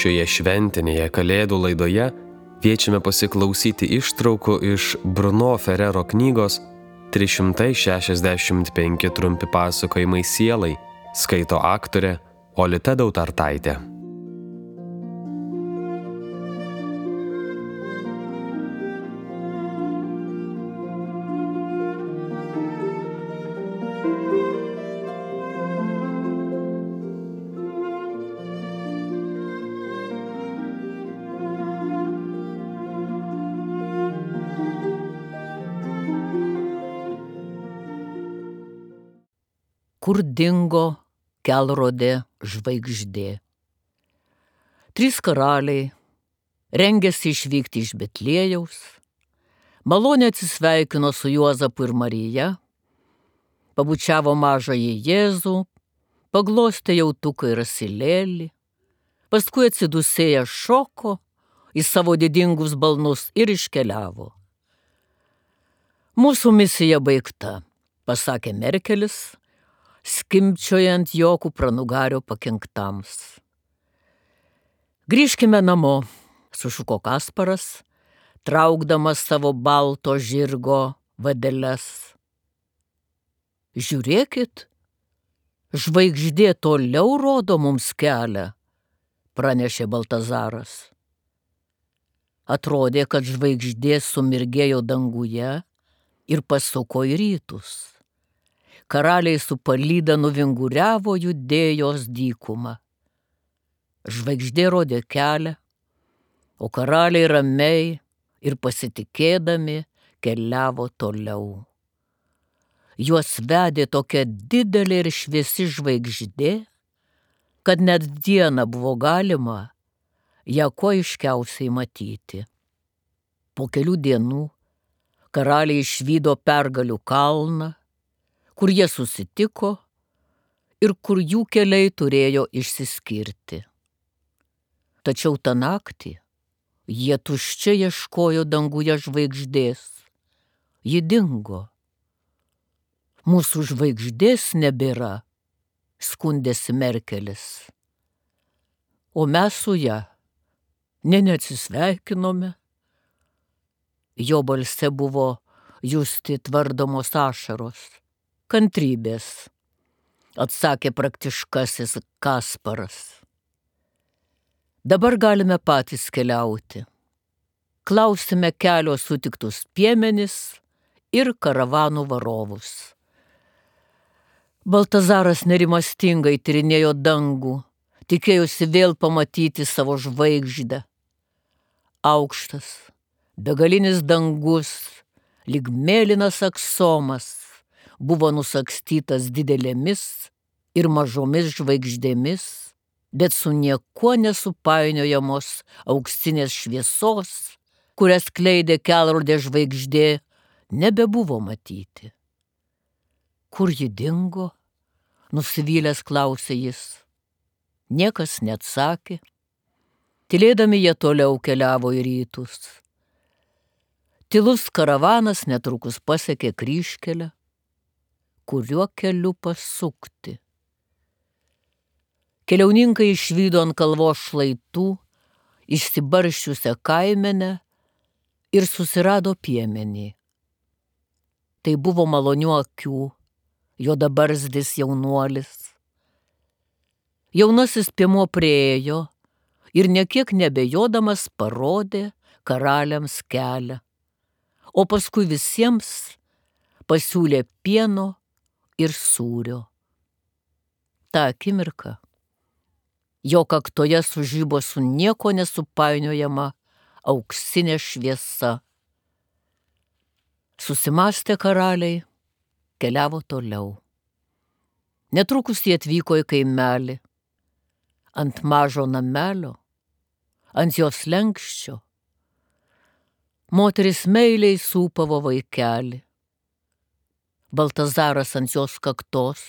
Šioje šventinėje Kalėdų laidoje kviečiame pasiklausyti ištraukų iš Bruno Ferrero knygos 365 trumpi pasakojimai sielai, skaito aktorė Olita Dautartaitė. Kur dingo kelrodė žvaigždė. 3 karaliai rengėsi išvykti iš Betliejaus, maloniai atsisveikino su Juozapu ir Marija, pabučiavo mažąjį Jėzų, paglostė jautuką ir asilėlį, paskui atsidusėję šoko į savo didingus balnus ir iškeliavo. Mūsų misija baigta, pasakė Merkelis, skimbčiojant jo kupranugario pakinktams. Grįžkime namo, sušuko Kasparas, traukdamas savo balto žirgo vadeles. Žiūrėkit, žvaigždė toliau rodo mums kelią, pranešė Baltazaras. Atrodė, kad žvaigždė sumirgėjo danguje ir pasuko į rytus. Karaliai su palyda nuvinguriavo Judėjos dykumą. Žvaigždė rodė kelią, o karaliai ramiai ir pasitikėdami keliavo toliau. Juos vedė tokia didelė ir šviesi žvaigždė, kad net dieną buvo galima ją kuo aiškiausiai matyti. Po kelių dienų karaliai išvydo Pergalių kalną, kur jie susitiko ir kur jų keliai turėjo išsiskirti. Tačiau tą naktį jie tuščiai ieškojo danguje žvaigždės. Ji dingo. Mūsų žvaigždės nebėra, skundėsi Merkelis. O mes su ja neatsisveikinome. Jo balse buvo justi tvardomos ašaros. Kantrybės, atsakė praktiškasis Kasparas. Dabar galime patys keliauti. Klausime kelio sutiktus piemenis ir karavanų varovus. Baltazaras nerimastingai tyrinėjo dangų, tikėjosi vėl pamatyti savo žvaigždę. Aukštas, begalinis dangus, lyg mėlynas aksomas, buvo nusakstytas didelėmis ir mažomis žvaigždėmis, bet su niekuo nesupainiojamos auksinės šviesos, kurias skleidė kelrodė žvaigždė, nebebuvo matyti. Kur ji dingo? Nusivylęs klausė jis. Niekas neatsakė. Tylėdami jie toliau keliavo į rytus. Tylus karavanas netrukus pasiekė kryžkelę, kuriuo keliu pasukti. Keliauninkai išvydo ant kalvos šlaitų išsibarsčiusią kaimenę ir susirado piemenį. Tai buvo malonių akių, juodabarzdis jaunuolis. Jaunasis piemuo priėjo ir nekiek nebejodamas parodė karaliams kelią, o paskui visiems pasiūlė pieno ir sūrio. Ta akimirka jo kaktoje sužibo su nieko nesupainiojama auksinė šviesa. Susimąstę karaliai keliavo toliau. Netrukus jie atvyko į kaimelį. Ant mažo namelio, ant jos slenksčio, moteris meiliai sūpavo vaikelį. Baltazaras ant jos kaktos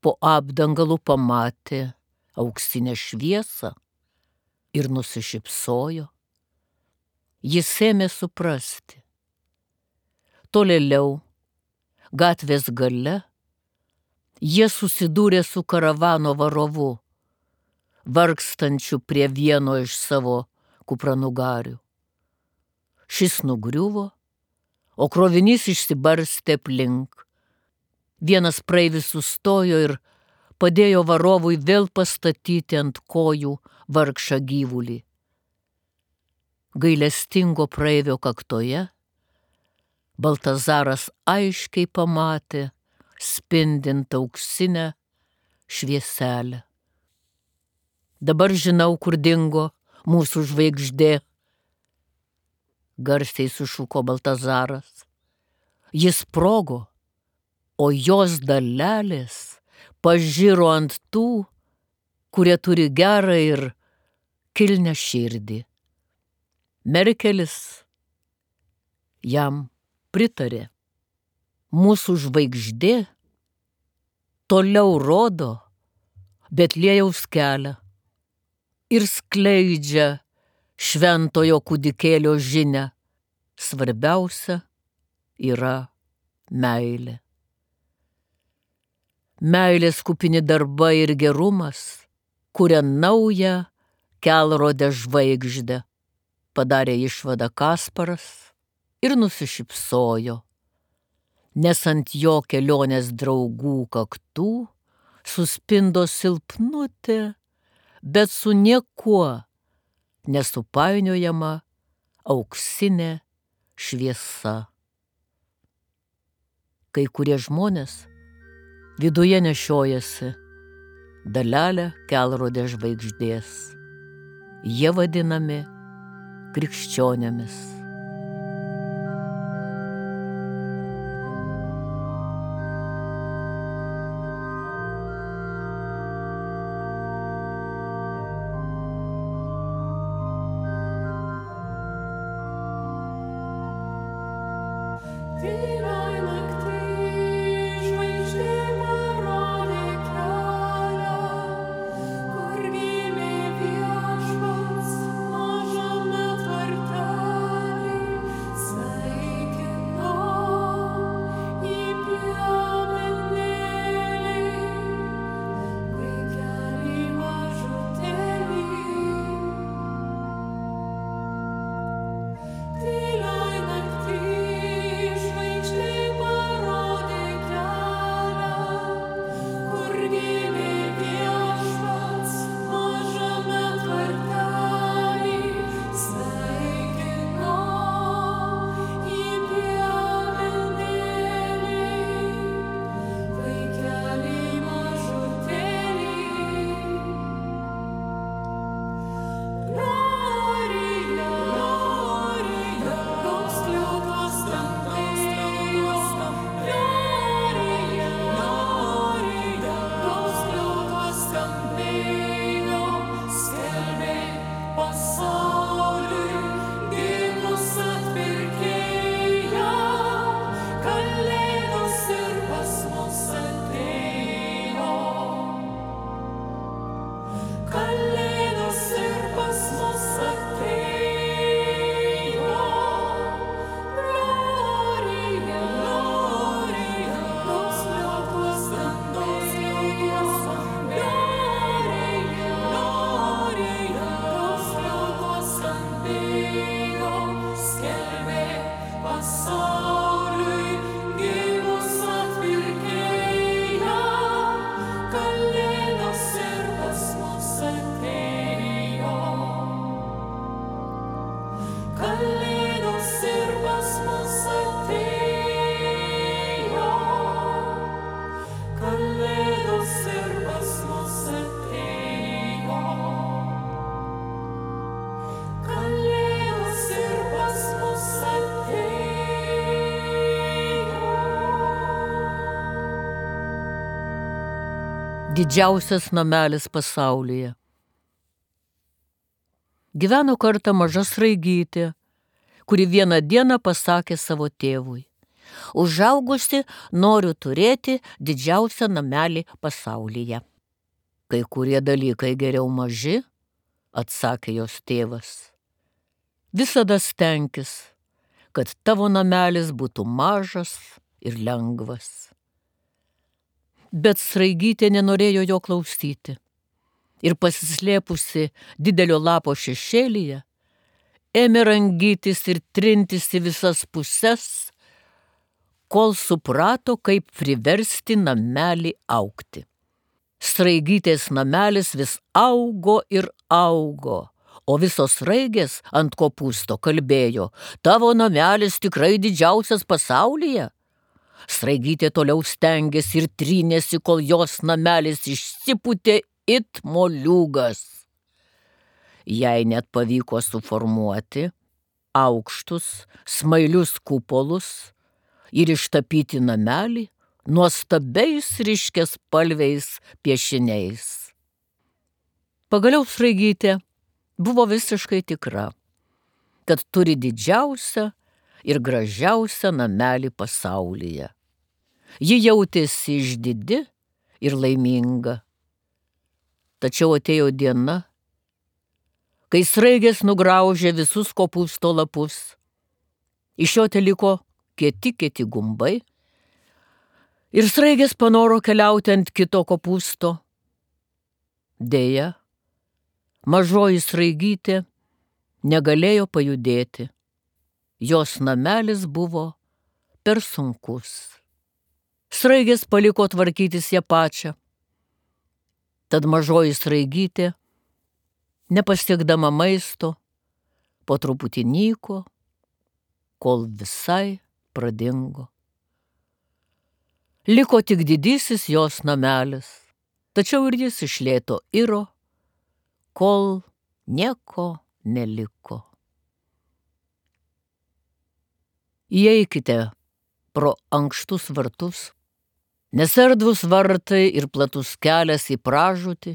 po apdangalu pamatė auksinę šviesą ir nusišypsojo. Jis ėmė suprasti. Tolėliau, gatvės gale, jie susidūrė su karavano varovu, vargstančiu prie vieno iš savo kupranugarių. Šis nugriuvo, o krovinys išsibarstė aplink. Vienas praeivis sustojo ir padėjo varovui vėl pastatyti ant kojų vargšą gyvulį. Gailestingo praeivio kaktoje Baltazaras aiškiai pamatė spindint auksinę švieselę. Dabar žinau, kur dingo mūsų žvaigždė, garsiai sušuko Baltazaras. Jis sprogo, o jos dalelės pažiro ant tų, kurie turi gerą ir kilnią širdį. Merkelis jam pritarė. Mūsų žvaigždė toliau rodo Betliejaus kelią ir skleidžia šventojo kūdikėlio žinią. Svarbiausia yra meilė. Meilės kupini darbai ir gerumas kuria naują kelrodę žvaigždę, padarė išvadą Kasparas ir nusišypsojo, nes ant jo kelionės draugų kaktų suspindo silpnutė, bet su niekuo nesupainiojama auksinė šviesa. Kai kurie žmonės viduje nešiojasi dalelę kelrodės žvaigždės. Jie vadinami krikščionėmis. Didžiausias namelis pasaulyje. Gyveno kartą maža sraigytė, kuri vieną dieną pasakė savo tėvui: užaugusi noriu turėti didžiausią namelį pasaulyje. Kai kurie dalykai geriau maži, atsakė jos tėvas. Visada stenkis, kad tavo namelis būtų mažas ir lengvas. Bet sraigytė nenorėjo jo klausyti. ir pasislėpusi didelio lapo šešėlyje, ėmė rangytis ir trintis į visas puses, kol suprato, kaip priversti namelį augti. Sraigytės namelis vis augo ir augo, o visos sraigės ant kopūsto kalbėjo: tavo namelis tikrai didžiausias pasaulyje. Sraigytė toliau stengėsi ir trynėsi, kol jos namelis išsipūtė it moliūgas. Jai net pavyko suformuoti aukštus, smailius kupolus ir ištapyti namelį nuostabiais ryškiaspalviais piešiniais. Pagaliau sraigytė buvo visiškai tikra, kad turi didžiausią ir gražiausią namelį pasaulyje. Ji jautėsi išdidi ir laiminga. Tačiau atėjo diena, kai sraigės nugraužė visus kopūsto lapus. Iš jo teliko kieti gumbai ir sraigės panoro keliauti ant kito kopūsto. Deja, mažoji sraigytė negalėjo pajudėti. Jos namelis buvo per sunkus. Sraigės paliko tvarkytis ją pačią. Tad mažoji sraigytė, nepasiekdama maisto, po truputį nyko, kol visai pradingo. Liko tik didysis jos namelis, tačiau ir jis iš lėto iro, kol nieko neliko. Įeikite pro ankštus vartus, nes erdvūs vartai ir platus kelias į pražūtį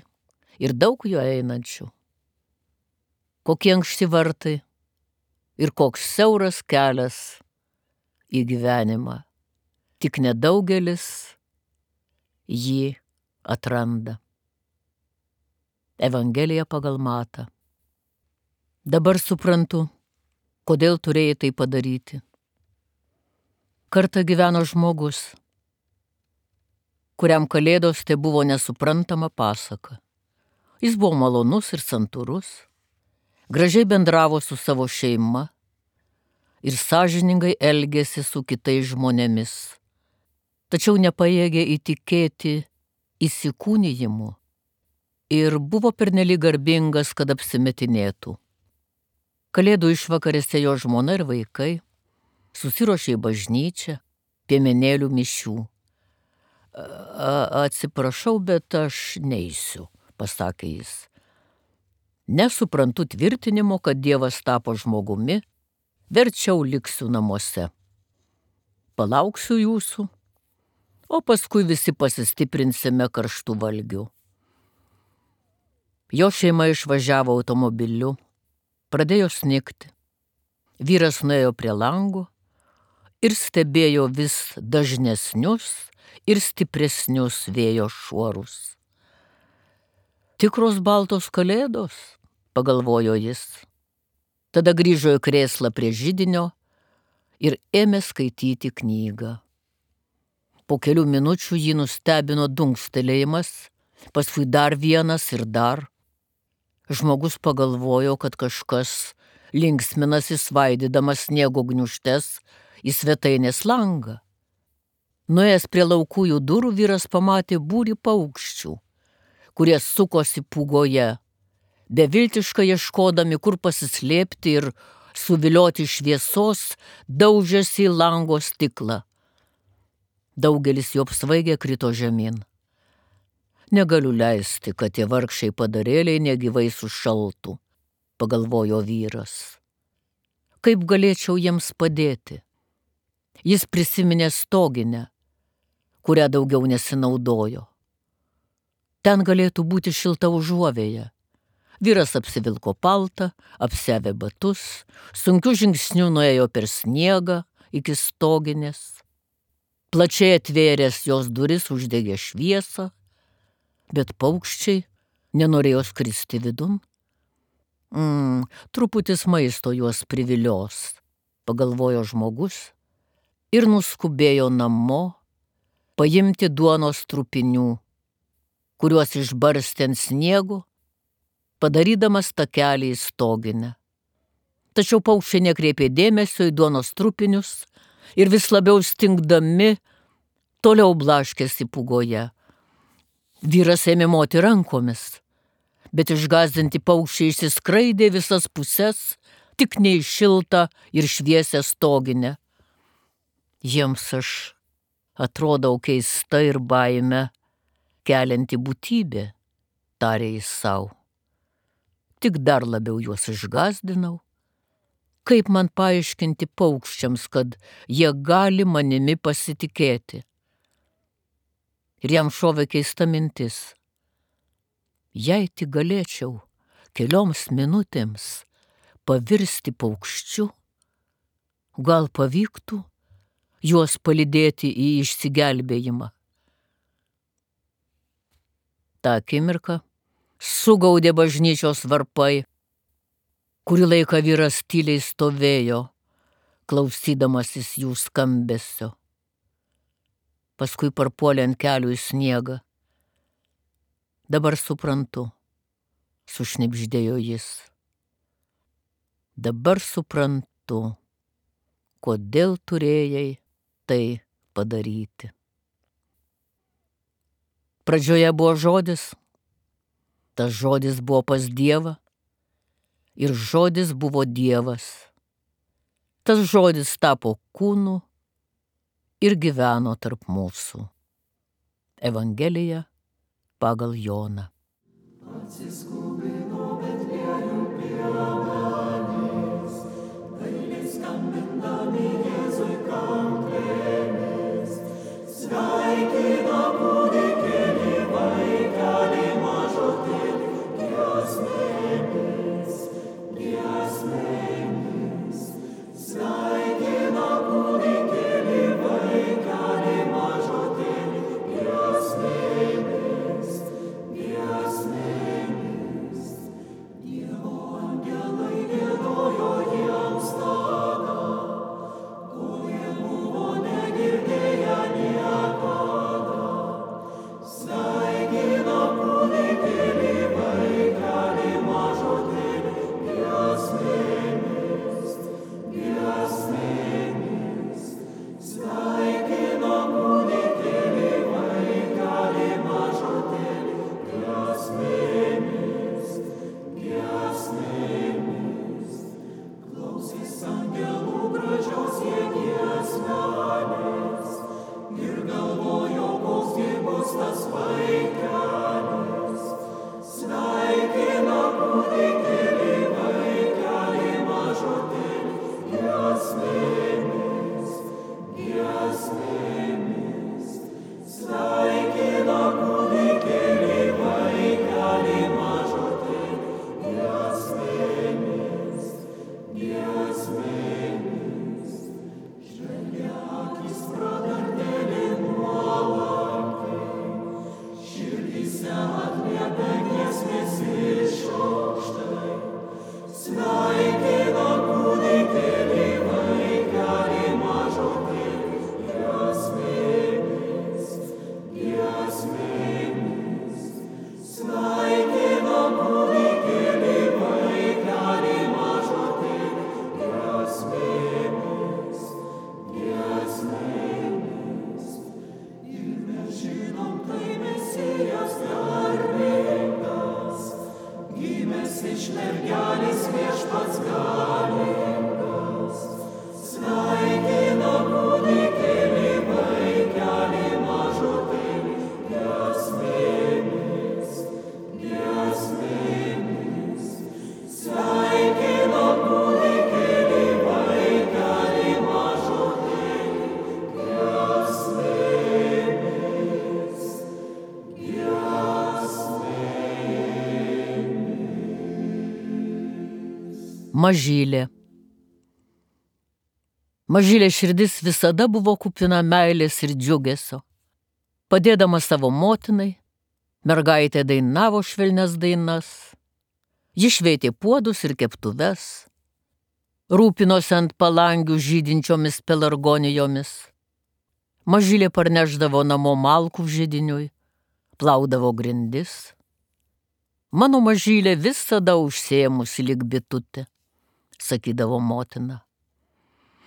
ir daug jo einančių. Kokie ankšti vartai ir koks siauras kelias į gyvenimą. Tik nedaugelis jį atranda. Evangelija pagal Matą. Dabar suprantu, kodėl turėjai tai padaryti. Kartą gyveno žmogus, kuriam kalėdos tai buvo nesuprantama pasaka. Jis buvo malonus ir santūrus, gražiai bendravo su savo šeima ir sąžiningai elgėsi su kitais žmonėmis, tačiau nepajėgė įtikėti įsikūnijimu ir buvo pernelyg garbingas, kad apsimetinėtų. Kalėdų išvakarėse jo žmona ir vaikai susiruošė į bažnyčią, piemenėlių mišių. Atsiprašau, bet aš neisiu, pasakė jis. Nesuprantu tvirtinimo, kad Dievas tapo žmogumi, verčiau liksiu namuose. Palauksiu jūsų, o paskui visi pasistiprinsime karštų valgių. Jo šeima išvažiavo automobiliu, pradėjo snigti. Vyras nuėjo prie lango ir stebėjo vis dažnesnius ir stipresnius vėjo šuorus. Tikros baltos kalėdos, pagalvojo jis. Tada grįžo į krėslą prie židinio ir ėmė skaityti knygą. Po kelių minučių jį nustebino dunkstelėjimas, paskui dar vienas ir dar. Žmogus pagalvojo, kad kažkas linksminasi svaidydamas sniego gniūžtes į svetainės langą. Nuėjęs prie laukųjų durų, vyras pamatė būrį paukščių, kurie sukosi pūgoje, beviltiškai ieškodami, kur pasislėpti ir suvilioti šviesos, daužėsi į lango stiklą. Daugelis jų apsvaigę krito žemyn. Negaliu leisti, kad tie vargšiai padarėliai negyvai sušaltų, pagalvojo vyras. Kaip galėčiau jiems padėti? Jis prisiminė stoginę, kurią daugiau nesinaudojo. Ten galėtų būti šilta užuovėja. Vyras apsivilko paltą, apsiavė batus, sunkiu žingsniu nuėjo per sniegą iki stoginės. Plačiai atvėręs jos duris uždegė šviesą, bet paukščiai nenorėjo skristi vidun. Truputis maisto juos privilios, pagalvojo žmogus ir nuskubėjo namo paimti duonos trupinių, kuriuos išbarstė ant sniego padarydamas takelį į stoginę. Tačiau paukščiai nekreipė dėmesio į duonos trupinius ir vis labiau stingdami toliau blaškėsi pūgoje. Vyras ėmė moti rankomis, bet išgąsdinti paukščiai išsiskraidė visas puses, tik ne į šiltą ir šviesią stoginę. Jiems aš atrodau keista ir baime kelianti būtybė, tarė jis sau. Tik dar labiau juos išgąsdinau. Kaip man paaiškinti paukščiams, kad jie gali manimi pasitikėti? Ir jam šovė keista mintis. Jei tik galėčiau kelioms minutėms pavirsti paukščiu, gal pavyktų juos palydėti į išsigelbėjimą. Ta akimirka sugaudė bažnyčios varpai. Kurį laiką vyras tyliai stovėjo, klausydamasis jų skambesio. Paskui parpuolė ant kelių į sniegą. Dabar suprantu, sušnibždėjo jis. Dabar suprantu, kodėl turėjai tai padaryti. Pradžioje buvo žodis, tas žodis buvo pas Dievą ir žodis buvo Dievas. Tas žodis tapo kūnu ir gyveno tarp mūsų. Evangelija pagal Joną. Atsiskubino Betliejų piemenys, dailiai skambindami Jėzui kanklėmis, sveikina kūdikėlį, vaikelį mažutėlį, giesmėmis, giesmėmis, sveikina kūdikėlį, vaikelį mažutėlį, giesmėmis, giesmėmis. Dievo angelai giedojo jiems tada, ko jie buvo negirdėję niekada. Sveikina kūdikėlį, vaikelį mažutėlį, giesmėmis, giesmėmis. Sveikina kūdikėlį, vaikelį mažutėlį, giesmėmis, giesmėmis. Klausys angelų gražios jie giesmelės ir galvojo, koks gi bus tas vaikelis. Sveikina kūdikėlį, vaikelį mažutėlį, giesmėmis, giesmėmis. Sveikina kūdikėlį, vaikelį mažutėlį, giesmėmis, giesmėmis. Žvelgia akis prakartėlį nuolankiai, širdyse atliepia giesmės išaukštai. Sveikina kūdikėlį, vaikelį mažutėlį, giesmėmis, giesmėmis. Sveikina kūdikėlį, vaikelį mažutėlį, giesmėmis, giesmėmis. Ir mes žinom, tai Mesijas garbingas, gimęs iš mergelės Viešpats galingas. Sveikina kūdikėlį, vaikelį mažutėlį, giesmėmis, giesmėmis. Sveikina kūdikėlį, vaikelį mažutėlį, giesmėmis, giesmėmis. Mažylė. Mažylė širdis visada buvo kupina meilės ir džiugesio. Padėdama savo motinai, mergaitė dainavo švelnias dainas. Ji šveitė puodus ir keptuves, rūpinosi ant palangių žydinčiomis pelargonijomis. Mažylė parnešdavo namo malkų židiniui, plaudavo grindis. Mano mažylė visada užsėmusi lyg bitutė, sakydavo motina.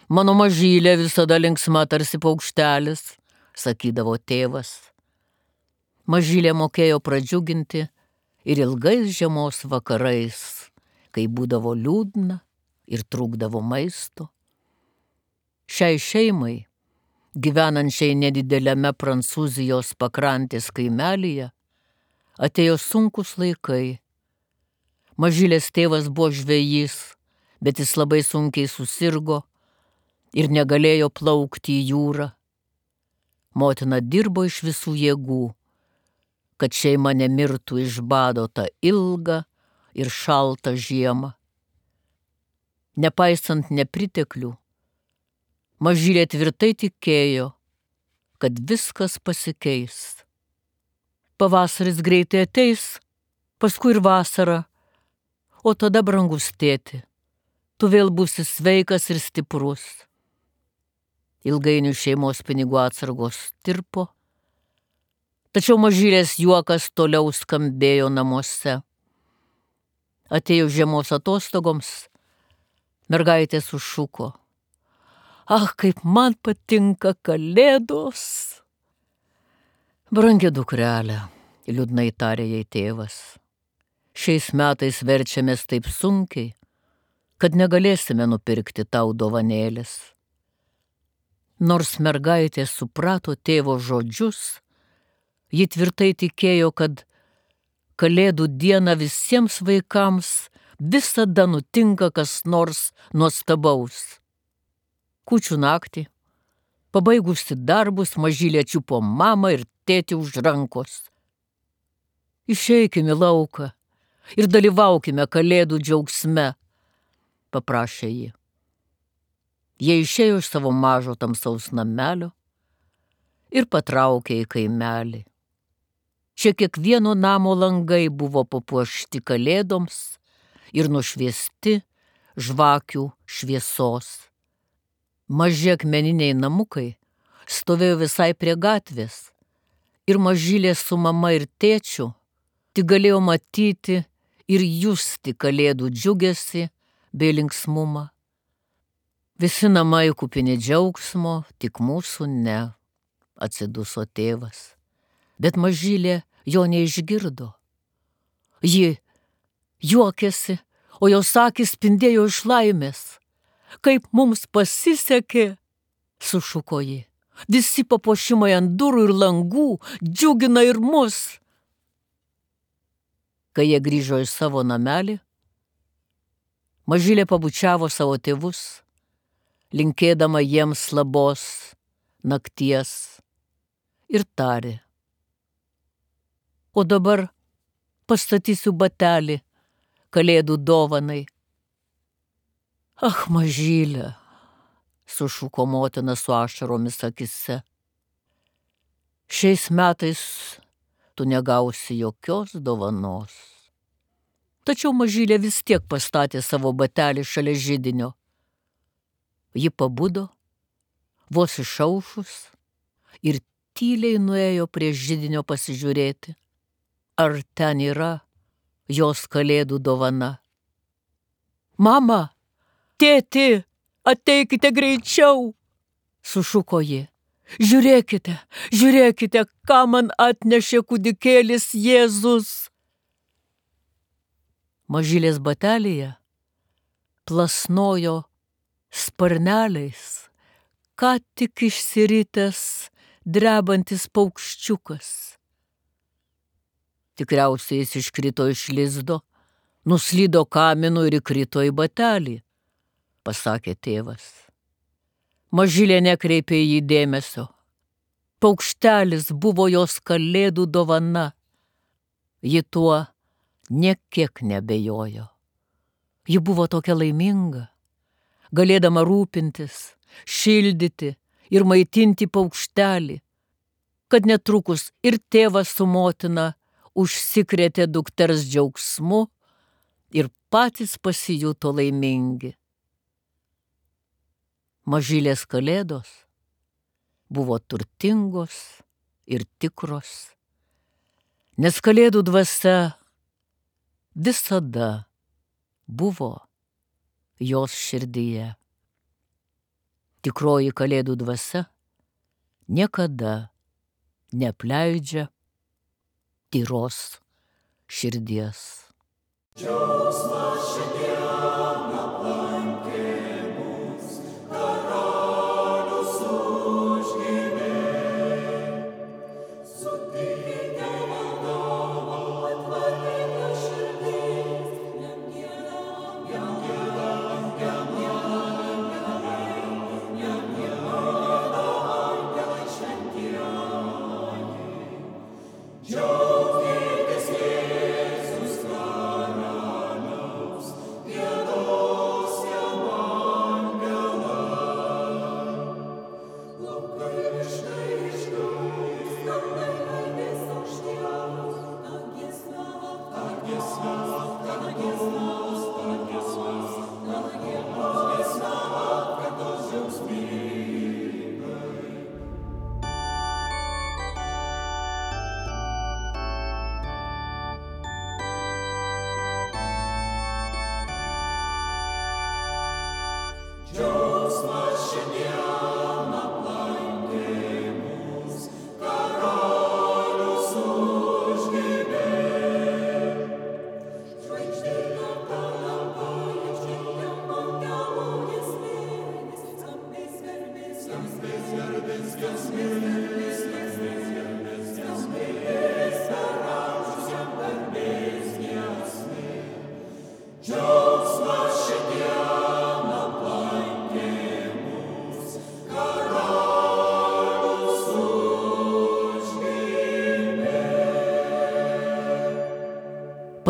Mano mažylė visada linksma tarsi paukštelis, sakydavo tėvas. Mažylė mokėjo pradžiuginti ir ilgais žiemos vakarais, kai būdavo liūdna ir trūkdavo maisto. Šiai šeimai, gyvenančiai nedideliame Prancūzijos pakrantės kaimelyje, atėjo sunkus laikai. Mažylės tėvas buvo žvejys, bet jis labai sunkiai susirgo ir negalėjo plaukti į jūrą. Motina dirbo iš visų jėgų, kad šeima nemirtų iš bado tą ilgą ir šaltą žiemą. Nepaisant nepriteklių, mažylė tvirtai tikėjo, kad viskas pasikeis. Pavasaris greitai ateis, paskui ir vasara, o tada, brangus tėti, tu vėl būsi sveikas ir stiprus. Ilgainiui šeimos pinigų atsargos tirpo, tačiau mažylės juokas toliau skambėjo namuose. Atėjo žiemos atostogoms, mergaitė sušuko: "Ach, kaip man patinka kalėdos!" "Brangi dukrelė," liūdnai tarė jai tėvas, "šiais metais verčiamės taip sunkiai, kad negalėsime nupirkti tau dovanėlės." Nors mergaitė suprato tėvo žodžius, ji tvirtai tikėjo, kad Kalėdų dieną visiems vaikams visada nutinka kas nors nuostabaus. Kūčių naktį, pabaigusi darbus, mažylė čiupo mamą ir tėtį už rankos. "Išeikime į lauką ir dalyvaukime Kalėdų džiaugsme," paprašė ji. Jie išėjo iš savo mažo tamsaus namelio ir patraukė į kaimelį. Čia kiekvieno namo langai buvo papuošti kalėdoms ir nušviesti žvakių šviesos. Maži akmeniniai namukai stovėjo visai prie gatvės ir mažylė su mama ir tėčiu tik galėjo matyti ir justi kalėdų džiugesį bei linksmumą. "Visi namai kupini džiaugsmo, tik mūsų ne," atsiduso tėvas. Bet mažylė jo neišgirdo. Ji juokėsi, o jos akys spindėjo iš laimės. "Kaip mums pasisekė," sušuko ji. "Visi papuošimai ant durų ir langų džiugina ir mus." Kai jie grįžo į savo namelį, mažylė pabučiavo savo tėvus, linkėdama jiems labos nakties, ir tarė: "O dabar pastatysiu batelį Kalėdų dovanai." "Ach, mažylė," sušuko motina su ašaromis akise, "šiais metais tu negausi jokios dovanos." Tačiau mažylė vis tiek pastatė savo batelį šalia židinio. Ji pabudo, vos išaušus, ir tyliai nuėjo prie židinio pasižiūrėti, ar ten yra jos Kalėdų dovana. "Mama, tėti, ateikite greičiau," sušuko ji. "Žiūrėkite, žiūrėkite, ką man atnešė kūdikėlis Jėzus." Mažylės batelėje plasnojo sparneliais ką tik išsiritęs drebantis paukščiukas. Tikriausiai jis iškrito iš lizdo, nuslydo kaminu ir įkrito į batelį, pasakė tėvas. Mažylė nekreipė į jį dėmesio. Paukštelis buvo jos kalėdų dovana. Ji tuo niekiek nebejojo. Ji buvo tokia laiminga, galėdama rūpintis, šildyti ir maitinti paukštelį, kad netrukus ir tėvas su motina užsikrėtė dukters džiaugsmu ir patys pasijuto laimingi. Mažylės kalėdos buvo turtingos ir tikros, nes kalėdų dvasia visada buvo jos širdyje. Tikroji Kalėdų dvasia niekada neapleidžia tyros širdies.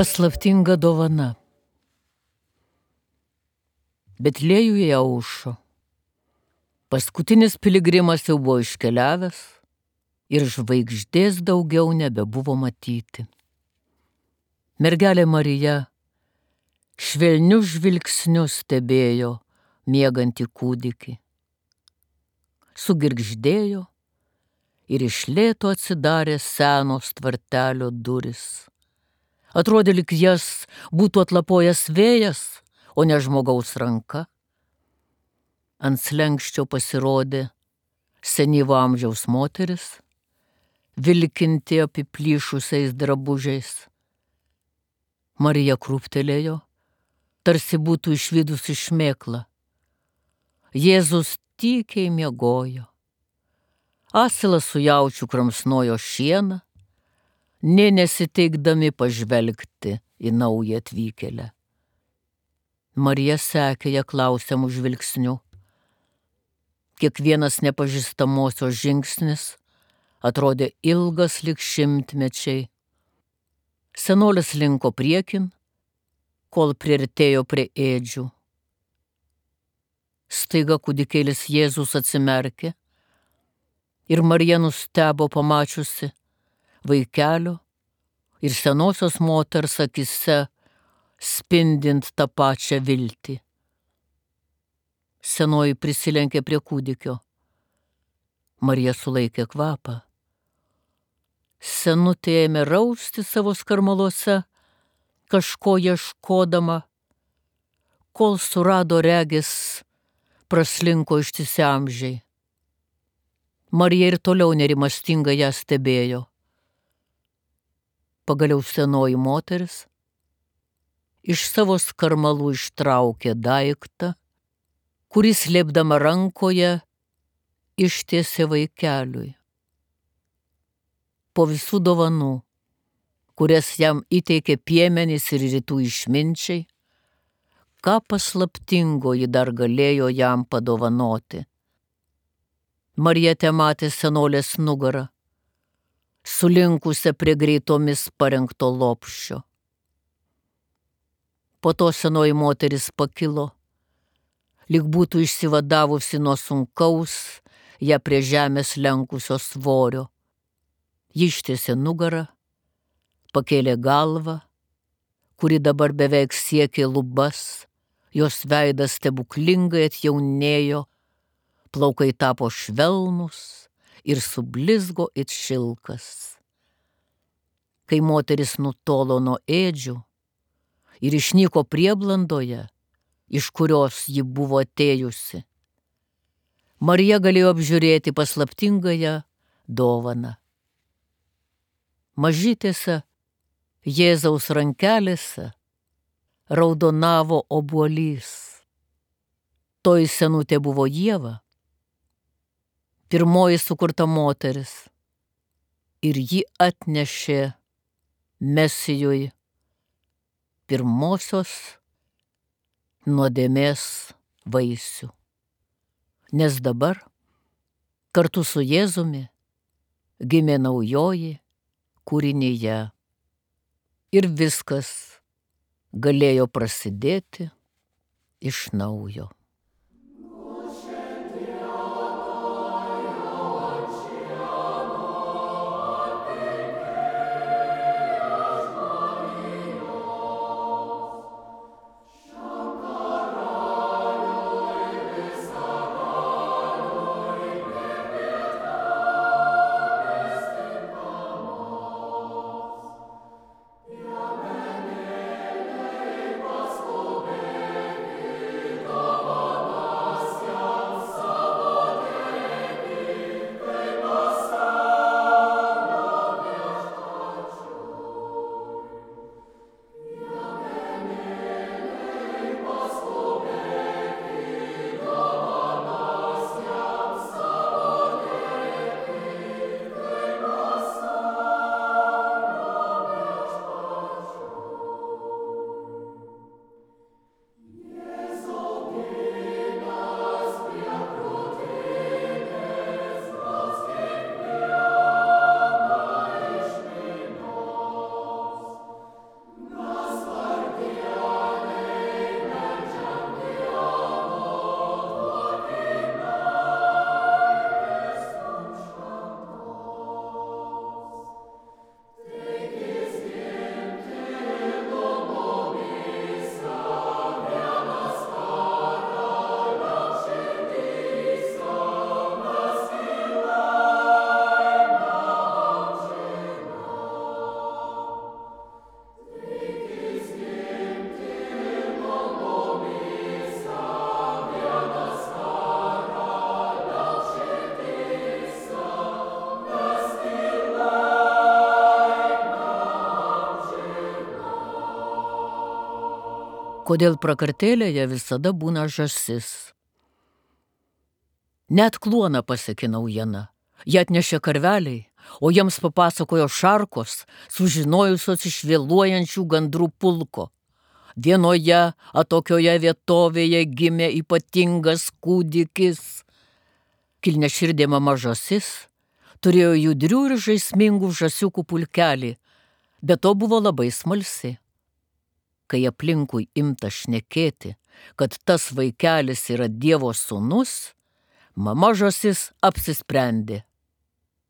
Paslaptinga dovana. Betliejuje aušo. Paskutinis piligrimas jau buvo iškeliavęs ir žvaigždės daugiau nebebuvo matyti. Mergelė Marija švelniu žvilgsniu stebėjo miegantį kūdikį. Sugirgždėjo ir iš lėto atsidarė senos tvartelio duris. Atrodė, lyg jas būtų atlapojęs vėjas, o ne žmogaus ranka. Ant slenksčio pasirodė senyvo amžiaus moteris, vilkinti apiplyšusiais drabužiais. Marija krūptelėjo, tarsi būtų išvydusi šmėklą. Jėzus tykiai miegojo. Asilas su jaučiu kramsnojo šieną, nė nesiteikdami pažvelgti į naują atvykėlę. Marija sekė ją klausiamų žvilgsnių. Kiekvienas nepažįstamosios žingsnis atrodė ilgas lyg šimtmečiai. Senolis linko priekin, kol priartėjo prie ėdžių. Staiga kūdikėlis Jėzus atsimerkė ir Marija nustebo pamačiusi vaikelio ir senosios moters akise spindint tą pačią viltį. Senoji prisilenkė prie kūdikio. Marija sulaikė kvapą. Senutė ėmė rausti savo skarmaluose, kažko ieškodama, kol surado regis praslinko ištisi amžiai. Marija ir toliau nerimastingai ją stebėjo. Pagaliau senoji moteris iš savo skarmalų ištraukė daiktą, kuris slėpdama rankoje ištiesė vaikeliui. Po visų dovanų, kurias jam įteikė piemenys ir rytų išminčiai, ką paslaptingo ji dar galėjo jam padovanoti. Marija tematė senolės nugarą, sulinkusią prie greitomis parengto lopščio. Po to senoji moteris pakilo, lyg būtų išsivadavusi nuo sunkaus, ją prie žemės lenkusio svorio. Ji ištiesė nugarą, pakėlė galvą, kuri dabar beveik siekė lubas, jos veidas stebuklingai atjaunėjo, plaukai tapo švelnūs ir sublizgo it šilkas. Kai moteris nutolo nuo ėdžių, ir išnyko prieblandoje, iš kurios ji buvo atėjusi. Marija galėjo apžiūrėti paslaptingąją dovaną. Mažytėse Jėzaus rankelėse raudonavo obuolys. Toji senutė buvo Ieva, pirmoji sukurta moteris, ir ji atnešė Mesijui pirmosios nuodėmės vaisių. Nes dabar kartu su Jėzumi gimė naujoji kūrinyje ir viskas galėjo prasidėti iš naujo. Kodėl prakartėlėje visada būna žąsis. Net kluoną pasiekė naujiena. Jie atnešė karveliai, o jiems papasakojo šarkos, sužinojusios iš vėluojančių gandrų pulko. Vienoje atokioje vietovėje gimė ypatingas kūdikis. Kilniaširdė mama žąsis turėjo judrių ir žaismingų žąsiukų pulkelį, bet to buvo labai smalsi. Kai aplinkui imta šnekėti, kad tas vaikelis yra Dievo sūnus, mama žąsis apsisprendė.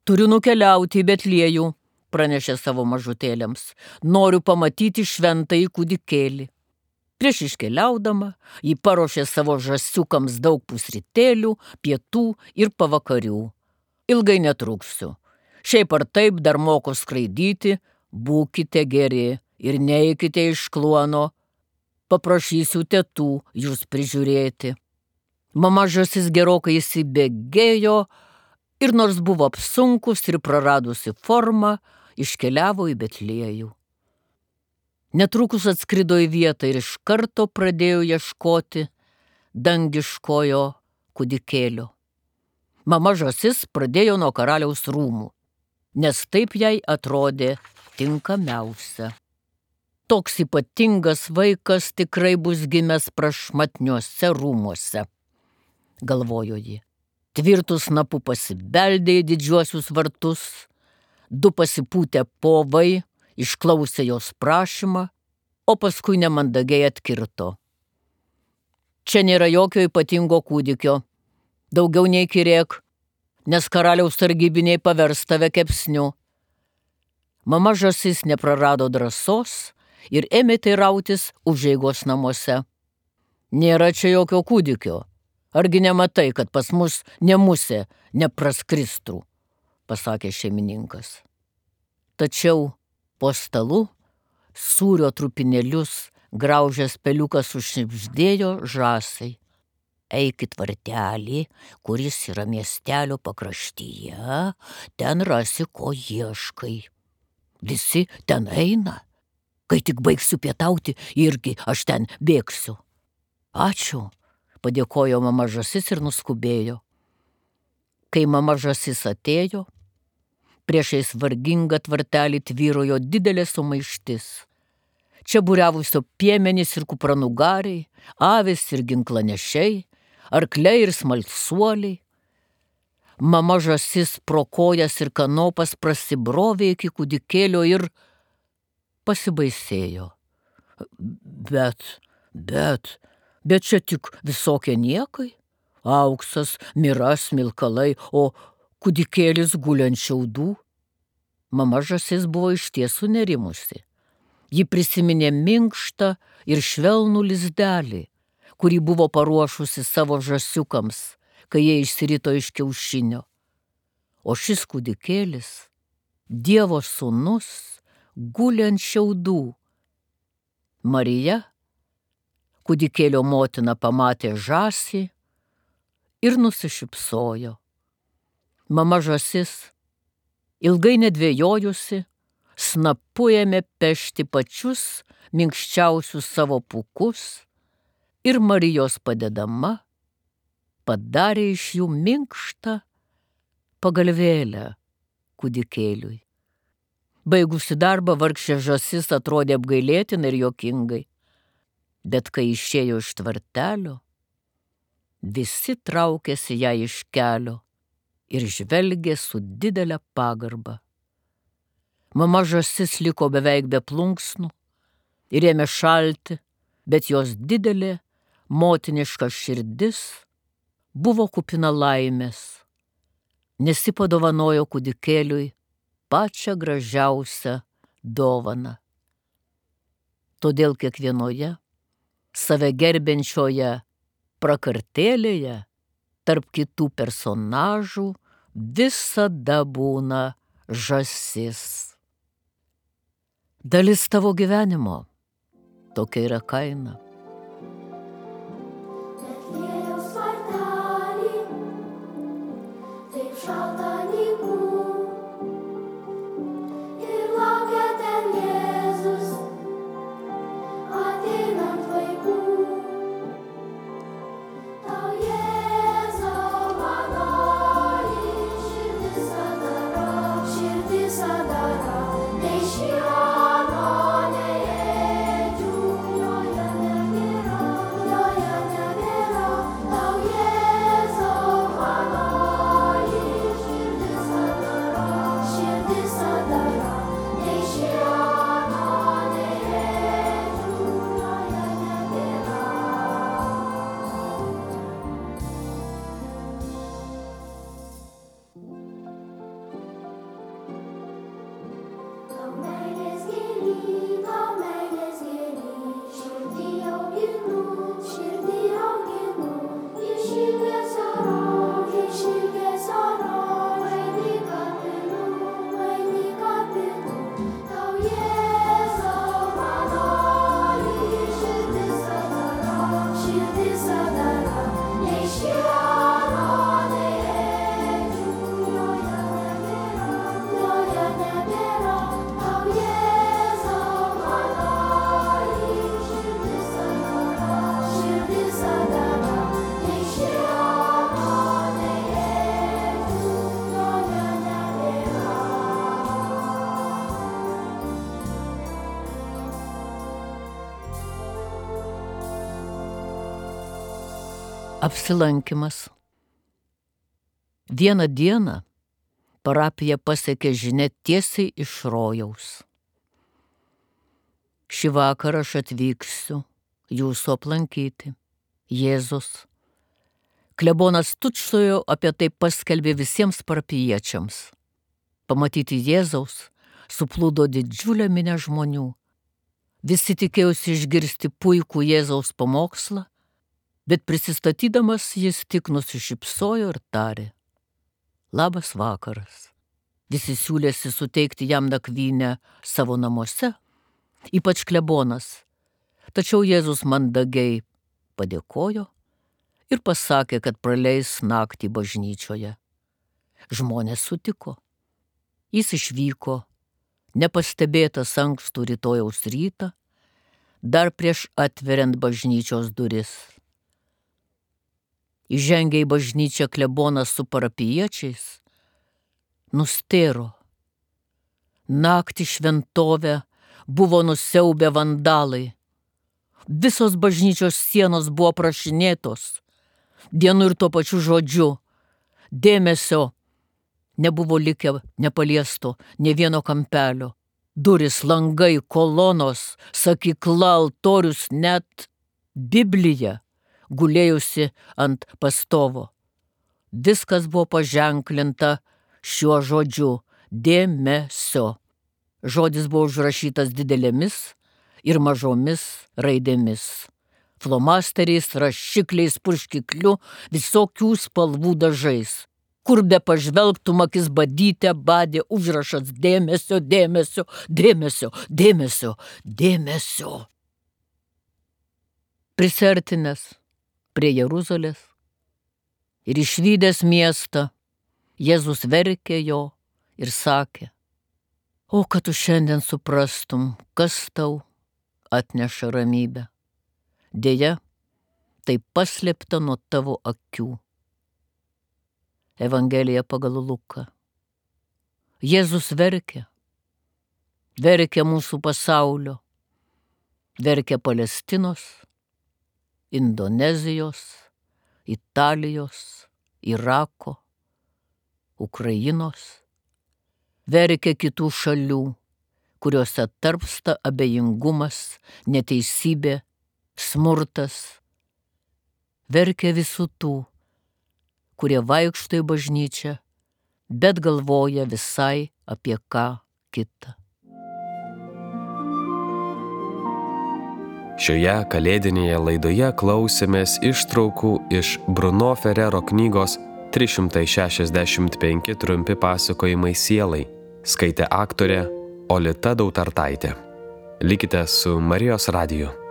Turiu nukeliauti į Betliejų, pranešė savo mažutėliams. Noriu pamatyti šventąjį kūdikėlį. Prieš iškeliaudama, ji paruošė savo žąsiukams daug pusrytėlių, pietų ir pavakarių. Ilgai netruksiu. Šiaip ar taip dar moku skraidyti, būkite geri. Ir neikite iš kluono, paprašysiu tetų jūs prižiūrėti. Mama žąsis gerokai įsibėgėjo ir nors buvo apsunkus ir praradusi formą, iškeliavo į Betliejų. Netrukus atskrido į vietą ir iš karto pradėjo ieškoti dangiškojo kūdikėlio. Mama žąsis pradėjo nuo karaliaus rūmų, nes taip jai atrodė tinkamiausia. Toks ypatingas vaikas tikrai bus gimęs prašmatniuose rūmuose, galvojo ji. Tvirtų snapų pasibeldė į didžiuosius vartus, du pasipūtę povai išklausė jos prašymą, o paskui nemandagiai atkirto. Čia nėra jokio ypatingo kūdikio, daugiau neįkyrėk, nes karaliaus sargybiniai pavers tave kepsniu. Mama žąsis neprarado drąsos ir ėmė teirautis užeigos namuose. Nėra čia jokio kūdikio. Argi nematai, kad pas mus ne musė nepraskristų, pasakė šeimininkas. Tačiau po stalu sūrio trupinėlius graužęs peliukas užšnibždėjo žąsai. Eikit vartelį, kuris yra miestelio pakraštyje, ten rasi, ko ieškai. Visi ten eina. Kai tik baigsiu pietauti, irgi aš ten bėgsiu. Ačiū, padėkojo mama žąsis ir nuskubėjo. Kai mama žąsis atėjo, priešais vargingą tvartelį tvyrojo didelė sumaištis. Čia būriavusio piemenys ir kupranugariai, avys ir ginklanešiai, arkliai ir smalsuoliai. Mama žąsis pro kojas ir kanopas prasibrovė iki kūdikėlio ir pasibaisėjo. Bet čia tik visokie niekai. Auksas, mira, smilkalai, o kūdikėlis guli ant šiaudų. Mama žąsis buvo išties sunerimusi. Ji prisiminė minkštą ir švelnų lizdelį, kurį buvo paruošusi savo žąsiukams, kai jie išsirito iš kiaušinio. O šis kūdikėlis, Dievo sūnus, guli ant šiaudų. Marija, kūdikėlio motina, pamatė žąsį ir nusišypsojo. Mama žąsis, ilgai nedvėjojusi, snapu ėmė pešti pačius minkščiausius savo pūkus ir Marijos padedama padarė iš jų minkštą pagalvėlę kūdikėliui. Baigusi darbą, vargšė žąsis atrodė apgailėtinai ir juokingai, bet kai išėjo iš tvartelio, visi traukėsi ją iš kelio ir žvelgė su didelė pagarba. Mama žąsis liko beveik be plunksnų ir ėmė šalti, bet jos didelė motiniška širdis buvo kupina laimės, nes ji padovanojo kūdikėliui pačią gražiausią dovaną. Todėl kiekvienoje save gerbiančioje prakartėlėje tarp kitų personažų visada būna žąsis. Dalis tavo gyvenimo, tokia yra kaina. Betliejaus vartely, taip šalta nykų, ir laukia ten Jėzus, ateinant vaikų. Tau Jėzau manoji, širdis adara, nei šieno, nei ėdžių, joje nebėra. Tau Jėzau manoji, širdis adara, nei šieno, nei ėdžių, joje nebėra. Tau meilės gėly, širdį auginu, iš ilgesio eini kapinu. Tau Jėzau manoji, širdis adara, nei šieno, nei ėdžių, joje nebėra. Tau Jėzau manoji, širdis adara, nei šieno, nei ėdžių, joje nebėra. Apsilankymas. Vieną dieną parapiją pasiekė žinia tiesiai iš rojaus. Šį vakarą aš atvyksiu jūsų aplankyti. Jėzus. Klebonas tučtuojau apie tai paskelbė visiems parapijiečiams. Pamatyti Jėzaus suplūdo didžiulę minią žmonių. Visi tikėjosi išgirsti puikų Jėzaus pamokslą, bet prisistatydamas jis tik nusišypsojo ir tarė: Labas vakaras. Visi siūlėsi suteikti jam nakvynę savo namuose, ypač klebonas. Tačiau Jėzus mandagiai padėkojo ir pasakė, kad praleis naktį bažnyčioje. Žmonės sutiko. Jis išvyko, nepastebėtas ankstų rytojaus rytą, dar prieš atveriant bažnyčios duris. Įžengė į bažnyčią klebonas su parapijiečiais, nustėro. Naktį šventovę buvo nusiaubę vandalai. Visos bažnyčios sienos buvo prašinėtos. Vienu ir tuo pačiu žodžiu. Dėmesio nebuvo likę nepaliesto nė vieno kampelio. Durys, langai, kolonos, sakykla, altorius, net Biblija gulėjusi ant pastovo. Viskas buvo paženklinta šiuo žodžiu – dėmesio. Žodis buvo užrašytas didelėmis ir mažomis raidėmis. Flomasteriais, rašikliais, purškikliu, visokių spalvų dažais. Kur be pažvelgtum, akis badyte badė užrašas dėmesio, dėmesio, dėmesio, dėmesio, dėmesio. Prisertinęs prie Jeruzalės ir išvydęs miestą, Jėzus verkė jo ir sakė: O, kad tu šiandien suprastum, kas tau atneša ramybę. Deja, tai paslėpta nuo tavo akių. Evangelija pagal Luką. Jėzus verkia. Verkia mūsų pasaulio. Verkia Palestinos, Indonezijos, Italijos, Irako, Ukrainos. Verkia kitų šalių, kuriuose tarpsta abejingumas, neteisybė, smurtas. Verkia visų tų, kurie vaikšto į bažnyčią, bet galvoja visai apie ką kitą. Šioje kalėdinėje laidoje klausėmės ištraukų iš Bruno Ferrero knygos 365 trumpi pasakojimai sielai. Skaitė aktorė Olita Dautartaitė. Likite su Marijos radiju.